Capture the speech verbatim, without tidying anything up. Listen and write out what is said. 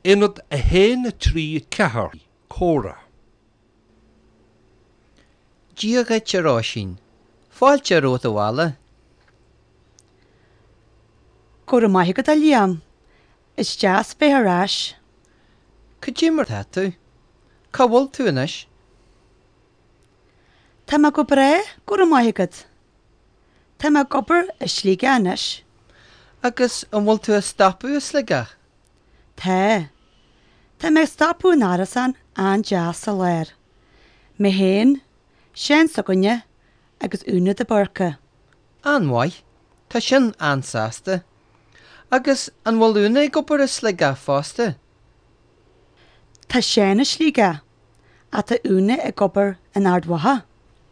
Ionad a haon a trí ceathair comhrá. Dia dhuit a Róisín, Fáilte romhat abhaile. Go raibh maith agat a Liam. Is deas bheith ar ais. Cad é mar tá tú? Cá bhfuil tú anois? Tá mé go breá go raibh maith agat. Tá mé ag obair i Sligeach anois. Agus an bhfuil tú ag stopadh i Sligeach? Tá. Tá mé ag stopadh in árasán an-deas sa lár. Mé féin, Seán s'againne agus Úna de Búrca. An-mhaith, Tá sin an-sásta. Agus an bhfuil Úna ag obair i Sligeach fosta? Tá Seán i Sligeach, ach tá Úna ag obair in Ard Mhacha.